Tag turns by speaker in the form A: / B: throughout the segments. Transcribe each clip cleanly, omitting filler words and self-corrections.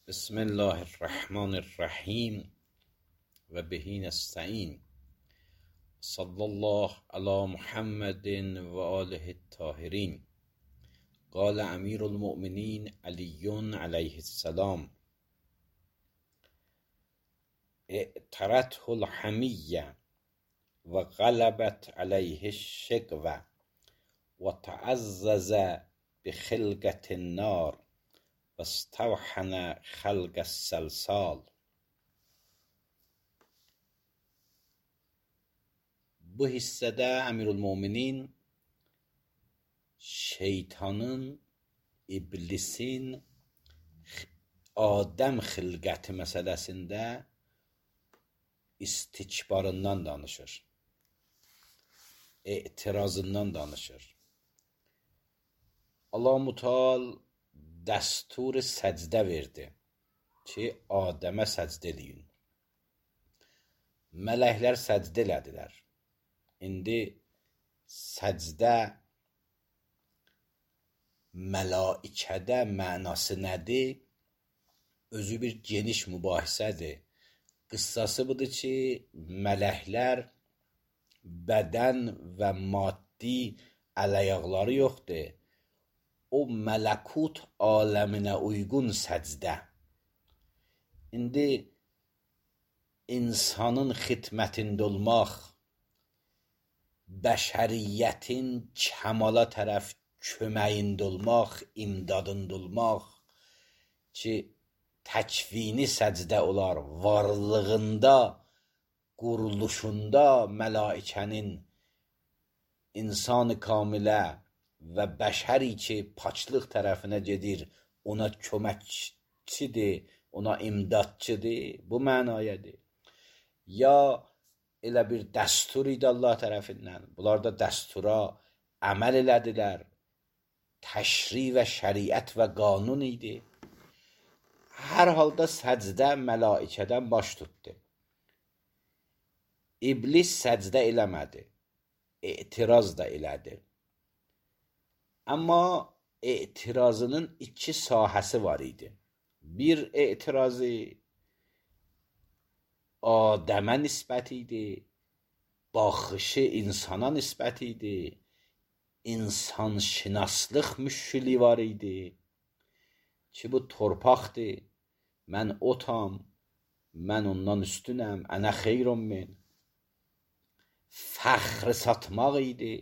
A: بسم الله الرحمن الرحیم و به نستعین. صلی الله علی محمد و آله الطاهرین. قال امیر المؤمنین علی علیه السلام: اعترته الحمیه و غلبت علیه الشقوه و تعزز بخلقة النار و استوحن خلق السلسال. Bu hissədə Əmirülmöminin şeytanın, iblisin Adəm xilqəti məsələsində istikbarından danışır, etirazından danışır. Allah-u Teala dəstur səcdə verdi ki, Adəmə səcdə eləyin. Mələklər səcdə elədilər. İndi səcdə mələikədə mənası nədir? Özü bir geniş mübahisədir. Qıssası budur ki, mələklər bədən və maddi əl-ayaqları yoxdur. O mələkut aləminə uyğun səcdə. İndi insanın xidmətində olmaq, bəşəriyyətin kəmala tərəf köməyində olmaq, imdadında olmaq ki, təkvini səcdə olar, varlığında, quruluşunda mələikənin insan-ı kamilə və bəşəri ki, paçlıq tərəfinə gedir, ona köməkçidir, ona imdadçıdır, bu mənayədir. Ya elə bir dəstur idi Allah tərəfindən, bunlar da dəstura əməl elədilər, təşri və şəriət və qanun idi. Hər halda səcdə mələikədən baş tutdu. İblis səcdə eləmədi, etiraz da elədi. Amma etirazının iki sahəsi var idi. Bir etirazı Adəmə nisbət idi, baxışı insana nisbət idi, insanşınaslıq müşkili var idi ki, bu torpaqdır, mən otam, mən ondan üstünəm, ənə xeyrun min. Fəxri satmaq idi,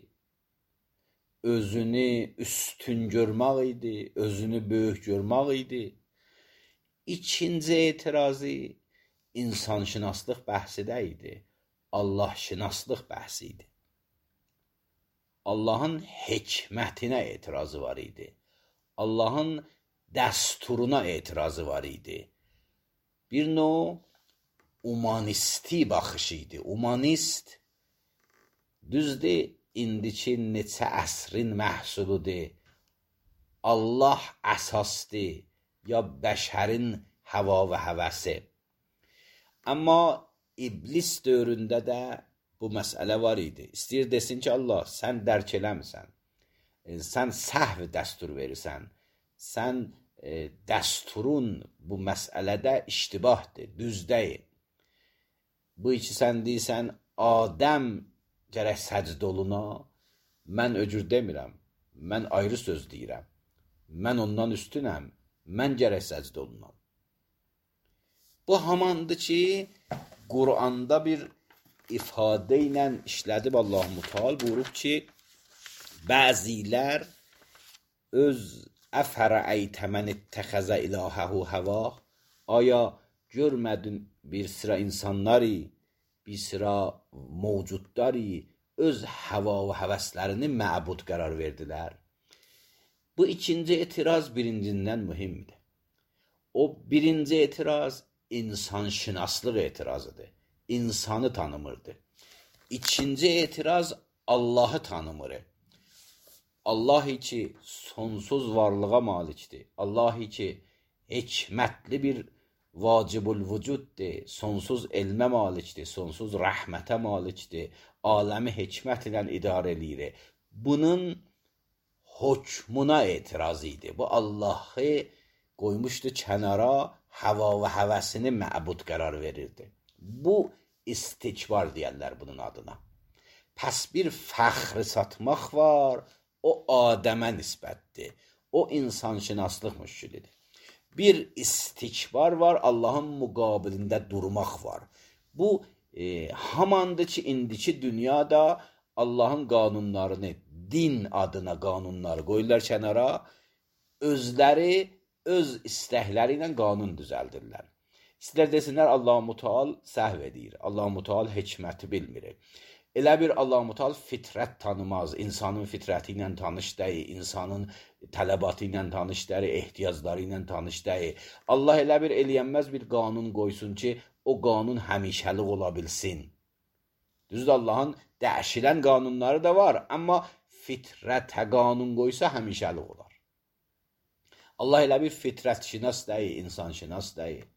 A: özünü üstün görmək idi, özünü böyük görmək idi. İkinci etirazı insanşınaslıq bəhsi də idi, Allahşınaslıq bəhsi idi. Allahın hikmətinə etirazı var idi, Allahın dəsturuna etirazı var idi. Bir növ humanisti baxışı idi. Humanist, düzdür, indiki neçə əsrin məhsuludur. Allah əsasdır, ya bəşərin həva və həvəsi. Amma iblis dövründə də bu məsələ var idi. İstəyir desin ki, Allah, sən dərk eləmirsən, sən səhv dəstur verirsən, sən dəsturun bu məsələdə iştibahdır, düz deyil. Bu iki sən deyirsən, Adəm gərək səcd oluna, mən öcür demirəm, mən ayrı söz deyirəm, mən ondan üstünəm, mən gərək səcd olunam. Bu hamandır ki, Quranda bir ifadə ilə işlədib Allah-u Teala buyurub ki, bəzilər öz əfərəytə mən ittəxəzə ilahəhu həvah, aya görmədin bir sıra insanları, bir sıra mövcudları öz həva və həvəslərini məbud qərar verdilər. Bu ikinci etiraz birincindən mühimdir. O birinci etiraz insanşınaslıq etirazıdır. İnsanı tanımırdı. İkinci etiraz Allahı tanımır. Allah ki sonsuz varlığa malikdir. Allah ki hikmətli bir vacibul vücuddur, sonsuz elmə malikdir, sonsuz rəhmətə malikdir, aləmi hikmət ilə idarə edir. Bunun hökmuna etiraz idi. Bu Allahı qoymuşdu kənara, hava və həvəsini məbud qərar verirdi. Bu istikbar deyərlər bunun adına. Pəs bir fəxri satmaq var, o Adəmə nisbətdir. O insanşünaslıq müşkilidir. Bir istikbar var, Allahın müqabilində durmaq var. Bu hamandır ki, indiki dünyada Allahın qanunlarını, din adına qanunları qoyurlar kənara, özləri öz istəkləri ilə qanun düzəldirlər. İstər desinlər Allah-u Müteal səhv edir, Allah-u Müteal hikməti bilmir. Elə bir Allah-u Müteal fitrət tanımaz, insanın fitrəti ilə tanış deyil, insanın tələbatı ilə tanış deyil, ehtiyacları ilə tanış deyil. Allah elə bir eləyənməz bir qanun qoysun ki, o qanun həmişəlik ola bilsin. Düzdür, Allahın dəyişilən qanunları da var, amma fitrətə qanun qoysa həmişəlik olar. Allah elə bir fitrətşinas deyil, insanşinas deyil.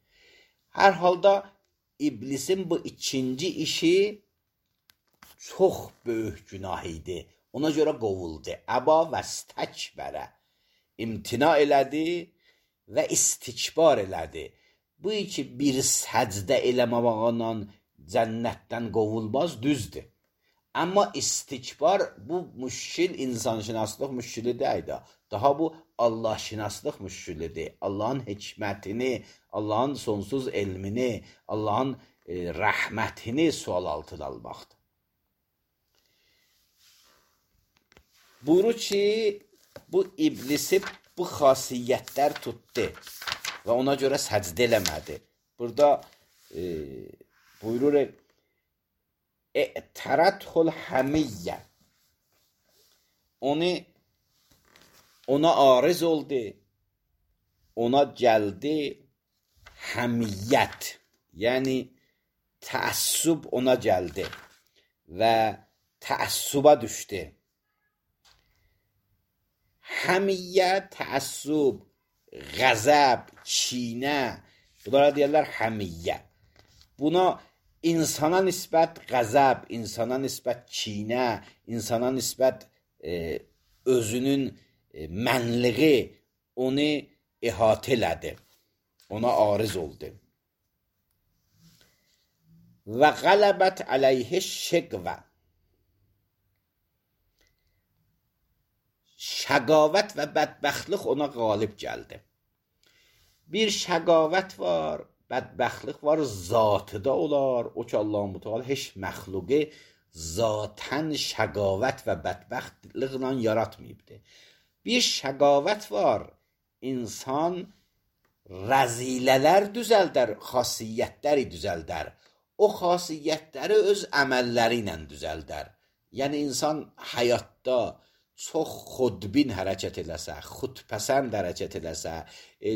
A: Hər halda iblisin bu ikinci işi çox böyük günah idi. Ona görə qovuldu. Əba və stəkbərə imtina elədi və istikbar elədi. Bu iki bir səcdə eləməklə cənnətdən qovulmaz, düzdür. Amma istikbar bu müşkil insanşünaslıq müşkili deyil. Daha bu Allah-şinaslıq müşkilidir. Allahın hikmətini, Allahın sonsuz elmini, Allahın rəhmətini sual altına almaqdır. Buyurur ki, bu iblisi bu xasiyyətlər tutdu və ona görə səcdə eləmədi. Burada buyurur, اعترته həmiyyə, ona arız oldu, ona gəldi həmiyyət, yəni təəssüb ona gəldi və təəssüba düşdü. Həmiyyə, təəssüb, qəzəb, çiynə, bunlara deyərlər həmiyyə. Buna insana nisbət qəzəb, insana nisbət çiynə, insana nisbət özünün mənliği onu ihatə elədi, ona ariz oldu. Və qələbət əleyhə şəqvə, şəqavət və bədbəxtlik ona qalib gəldi. Bir şəqavət var, bədbəxtlik var, zatıda olar. O ki, Allah-u Müteal heç məxluqi zatən şəqavət və bədbəxtliklə yaratmayıbdır. Bir şəqavət var, insan rəzilələr düzəldər, xasiyyətləri düzəldər. O xasiyyətləri öz əməlləri ilə düzəldər. Yəni, insan həyatda çox xudbin hərəkət eləsə, xudpəsənd hərəkət eləsə,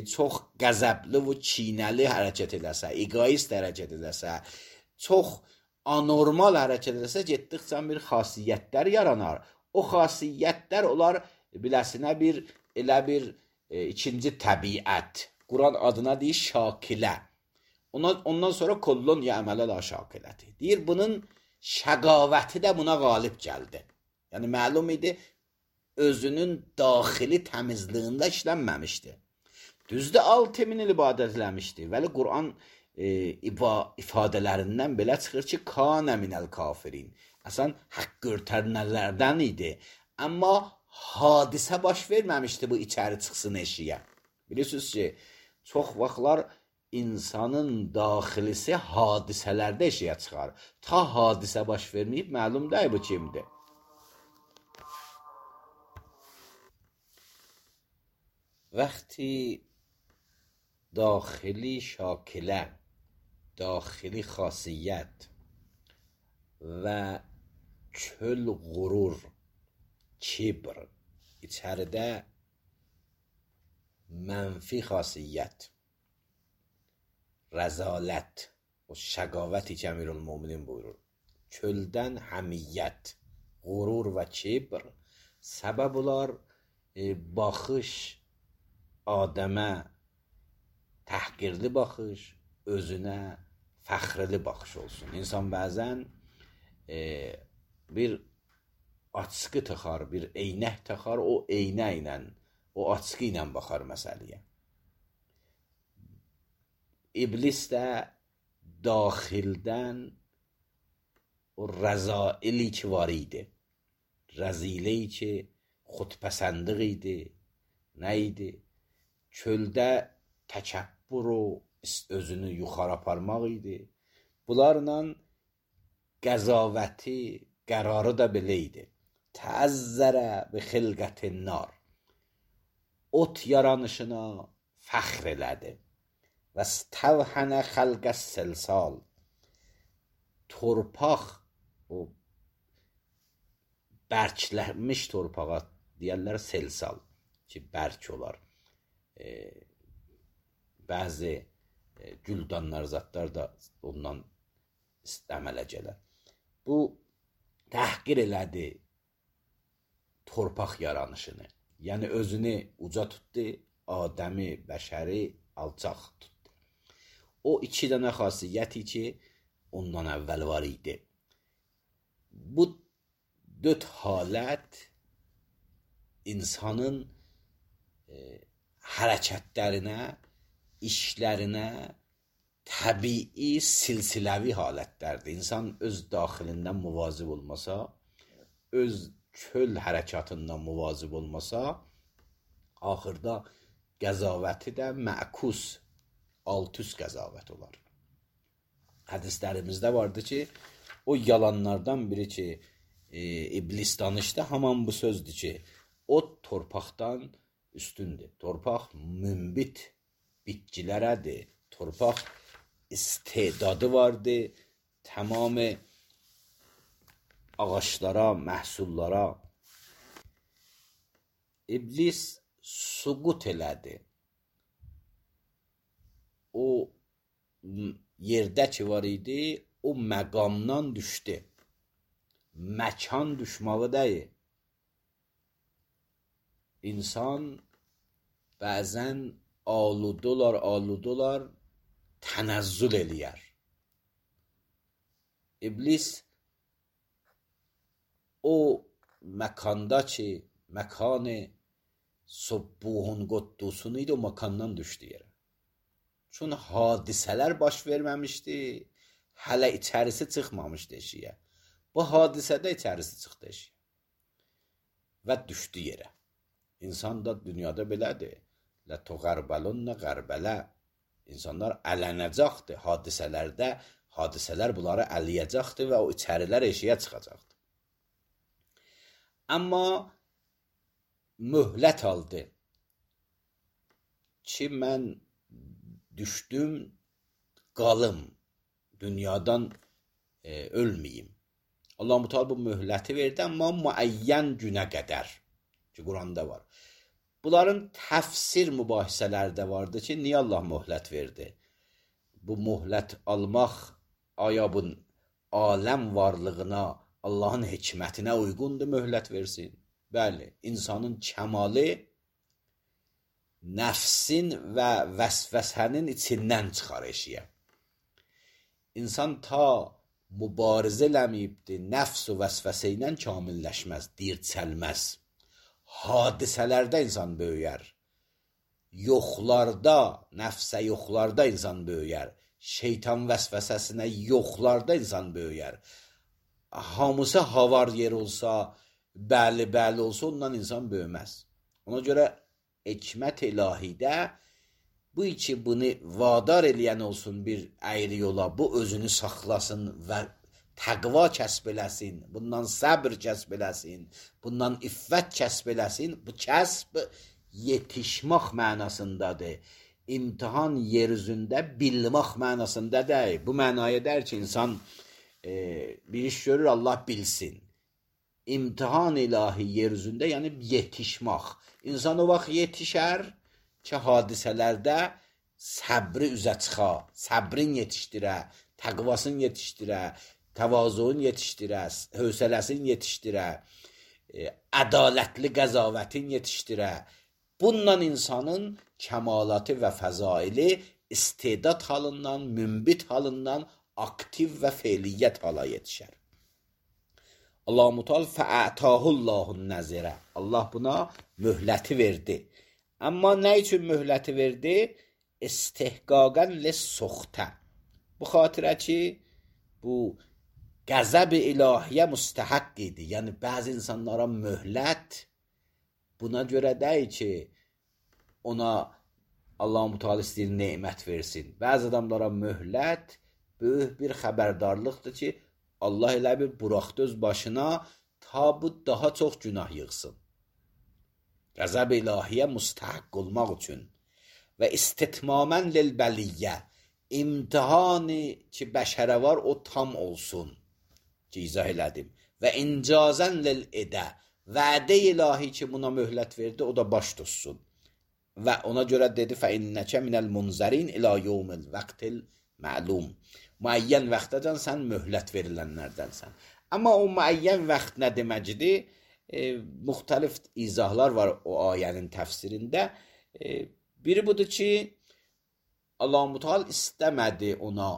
A: çox qəzəbli və çiynəli hərəkət eləsə, egoist hərəkət eləsə, çox anormal hərəkət eləsə, getdikcə bir xasiyyətlər yaranar. O xasiyyətlər olar biləsinə elə bir ikinci təbiət. Quran adına deyir şakilə. Ondan sonra kollun ya əmələ la şakiləti. Deyir, bunun şəqavəti də buna qalib gəldi. Yəni, məlum idi, özünün daxili təmizliyində işlənməmişdi. Düzdür, 6000 il ibadət eləmişdi. Vəli Quran ifadələrindən belə çıxır ki, kanə minəl kafirin. Əsən, haqq örtənlərdən idi. Amma hadisə baş verməmişdi bu içəri çıxsın eşiyə. Bilirsiniz ki, çox vaxtlar insanın daxilisi hadisələrdə eşiyə çıxar. Ta hadisə baş verməyib, məlum deyil bu kimdir. وقتی داخلی شاکله، داخلی خاصیت و کل غرور، کبر içəridə mənfi xasiyyət, rəzalət, o şəqavəti ki Əmirülmüminin buyurur, köldən həmiyyət, qurur və kibr səbəb olar baxış Adəmə təhqirli baxış, özünə fəxrli baxış olsun. İnsan bəzən bir açqı taxar, bir eynək taxar, o eynə ilə, o açqı ilə baxar məsələyə. iblis də daxildən o rəzaili ki var idi, rəziləyi ki xudpəsəndlik idi, nə idi? Çöldə təkəbbür o özünü yuxarı aparmaq idi. Bunlarla qəzavəti, qərarı da belə idi. Təəzzərə bi xilqətin nar. Ot yaranışına fəxr elədi. Və stəvhənə xəlqə silsal. Torpaq, o bərklənmiş torpağa deyərlər silsal ki, bərk olar. Bəzi güldanlar, zatlar da ondan əmələ gələr. Bu təhqir elədi torpaq yaranışını. Yəni özünü uca tutdu, Adəmi, bəşəri alçaq tutdu. O iki dənə xasiyyəti ki, ondan əvvəl var idi. Bu dörd halət insanın hərəkətlərinə, işlərinə təbii, silsiləvi halətlərdir. İnsan öz daxilindən muvazib olmasa, öz çöl hərəkatından muvazib olmasa, axırda qəzavəti də məkus, alt-üst qəzavət olar. Hədislərimizdə vardı ki, o yalanlardan biri ki, iblis danışdı, haman bu sözdür ki, o torpaqdan üstündür. Torpaq mümbit bitkilərədir. Torpaq istedadı vardı, tamamı ağaçlara, məhsullara. İblis suqut elədi. O yerdə ki var idi, o məqamdan düşdü. Məkan düşmağı deyil. İnsan bəzən aludolar, tənəzzül eləyər. İblis o məkanda ki, məkanı subbuhun quddusun idi, o məkandan düşdü yerə. Çün hadisələr baş verməmişdi, hələ içərisi çıxmamışdı eşiyə. Bu hadisədə içərisi çıxdı eşiyə və düşdü yerə. İnsan da dünyada belədir. Lətuğərbəlunə qərbələ. İnsanlar ələnəcəkdir hadisələrdə, hadisələr bunları əliyəcəkdir və o içərilər eşiyə çıxacaqdır. Amma möhlət aldı ki, mən düşdüm, qalım, dünyadan ölməyim. Allah-u Teala bu möhləti verdi, amma müəyyən günə qədər ki, Quranda var. Bunların təfsir mübahisələri də vardı ki, niyə Allah möhlət verdi? Bu möhlət almaq aya bu aləm varlığına, Allahın hikmətinə uyğundur möhlət versin? Bəli, insanın kəmalı nəfsin və vəsvəsənin içindən çıxar eşiyə. İnsan ta mübarizə eləməyibdir, nəfs və vəsvəsə ilə kamilləşməz, dirçəlməz. Hadisələrdə insan böyüyər. Yoxlarda, nəfsə yoxlarda insan böyüyər. Şeytan vəsvəsəsinə yoxlarda insan böyüyər. Hamısı havar yer olsa, bəli olsa ondan insan böyüməz. Ona görə hikmət ilahidə bu iki bunu vadar eləyən olsun bir əyri yola, bu özünü saxlasın və təqva kəsb eləsin, bundan səbr kəsb eləsin, bundan iffət kəsb eləsin. Bu kəsb yetişmək mənasındadır. İmtihan yer üzündə bilmək mənasında deyil. Bu mənaya deyir ki, insan bir iş görür, Allah bilsin. İmtihan ilahi yer üzündə, yəni yetişmək. İnsan o vaxt yetişər ki, hadisələrdə səbri üzə çıxa, səbrin yetişdirə, təqvasını yetişdirə, təvazuun yetişdirə, hövsələsin yetişdirə, ədalətli qəzavətin yetişdirə. Bununla insanın kəmalatı və fəzaili istedad halından, mümbit halından aktiv və feiliyyət hala yetişər. Allah-u Teala fəətəhullahun nəzirə. Allah buna möhləti verdi. Amma nə üçün möhləti verdi? استحقاقا لسخته. Bu xatirə ki, bu qəzəb ilahiyyə müstəhəq idi. Yəni, bəzi insanlara möhlət buna görə deyil ki, ona Allah-u Teala istəyir nemət versin. Bəzi adamlara möhlət böyük bir xəbərdarlıqdır ki, Allah elə bir buraxdı öz başına ta bu daha çox günah yığsın. Qəzəb ilahiyyə müstəhəq olmaq üçün və istitmamən lilbəliyyə, imtihanı ki bəşərə var o tam olsun ki izah elədim və incazən lil-edə, vədə ilahi ki buna möhlət verdi o da baş tutsun və ona görə dedi fəinnəkə minəl munzərin ilə yevmil vəqtil məlum, müəyyən vaxtacan sən möhlət verilənlərdənsən. Amma o müəyyən vaxt nə deməkdir? Müxtəlif izahlar var o ayənin təfsirində. Biri budur ki, Allah-u Teala istəmədi ona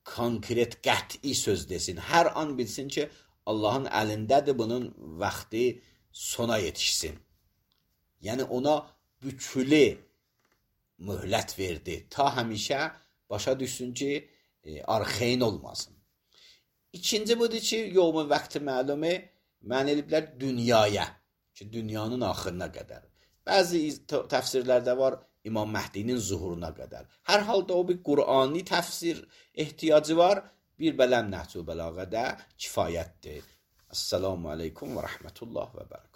A: konkret, qəti söz desin. Hər an bilsin ki, Allahın əlindədir, bunun vaxtı sona yetişsin. Yəni, ona bükülü möhlət verdi. Ta həmişə başa düşsün ki, arxeyn olmasın. İkinci budur ki, yevmin vaxtı məlumu mən eliblər dünyaya, ki, dünyanın axırına qədər. Bəzi təfsirlərdə var, İmam Məhdinin zuhuruna qədər. Hər halda o bir Qur'ani təfsir ehtiyacı var, bir bələm Nəhcül Bəlağədə kifayətdir. Esselamu aleykum və rəhmətullah və bərəkətuhu.